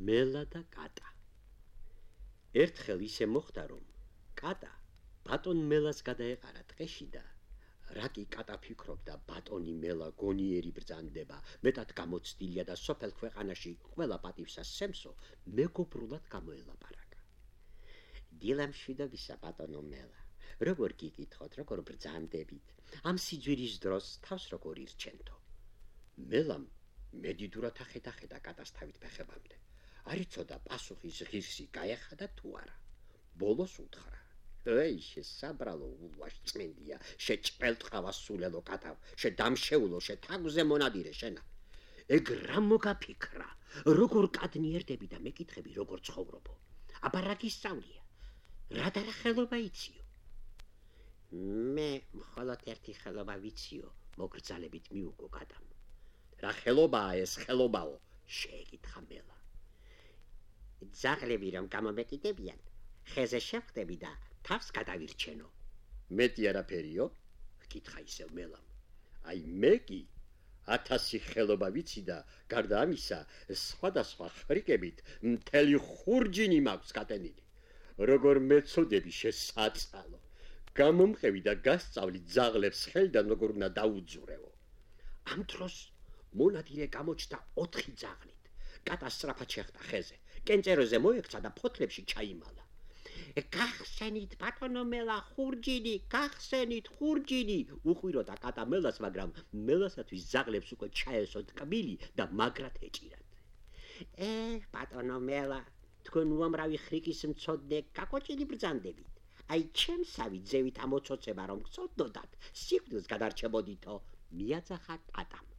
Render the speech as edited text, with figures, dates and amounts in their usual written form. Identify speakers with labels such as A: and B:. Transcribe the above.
A: მელა და კატა. ერთხელ ისე მოხდა, რომ კატა ბატონ მელას გადაეყარა ტყეში და რაკი კატა ფიქრობდა ბატონი მელა გონიერი ბრძანდება, მეტად გამოცდილია და სოფელ ქვეყანაში ყველა პატივსას სემსო მეგობრულად გამოელაპარაკა. დილამშვიდობისა ბატონო მელა, როგორ გიკითხოთ, როგორ ბრძანდებით, ამ სიძვირის დროს თავს როგორ ირჩენთო. მელამ მედიდურად ახედა კატას თავით ფეხებამდე. არ იცოდა პასუხის ღირსი გაეხადა თუ არა. ბოლოს უთხრა: "ეი, შესაბრალო ულვაშწმენდია, შეჭყელტყავას სულელო კატავ, შედამშეულო, შეთაგვზე მონადირე შენა. ეგ რა მოგაფიქრა, როგორ კადნიერდები და მეკითხები როგორ ცხოვრობო. აბა რა გისწავლია? რა და რა ხელობა იციო?" "მე მხოლოდ ერთი ხელობა ვიციო", მოგრძალებით მიუგო კატამ. "რა ხელობაა ეს ხელობაო?" შეეკითხა მელა. "ძაღლები რომ გამომეკიდებიან, ხეზე შევხვდები და თავს გადავირჩენო." "მეტი არაფერიო?" კითხა ისევ მელამ. "აი მე კი 1000 ხელობა ვიცი და გარდა ამისა, სხვადასხვა ხრიკებით მთელი ხურჯინი მაქვს გატენილი. როგორ მეწოდები შესაწყალო. გამომყევი და გასწავლი ძაღლებს ხელიდან როგორ უნდა დაუძურევო." ამ დროს მონადირე გამოჩნდა 4 ძაღლით. კატა სწრაფად შეხვდა ხეზე, კენწეროზე მოექცა და ფოთლებში ჩაიმალა. "გახსენით ბატონო მელა ხურჯინი, გახსენით ხურჯინი!" უყვიროდა კატა მელას, მაგრამ მელასათვის ძაღლებს უკვე ჩაესოთ კბილი და მაგრად ეჭირათ. ბატონო მელა, თქვენ უამრავი ხრიკის მცოდნე გაკოჭილი ბრძანდებით. აი ჩემსავი ძევით ამოცოცება რომ გწოდდოდათ, სიკვდილს გადარჩებოდითო", მიაძახა კატამ.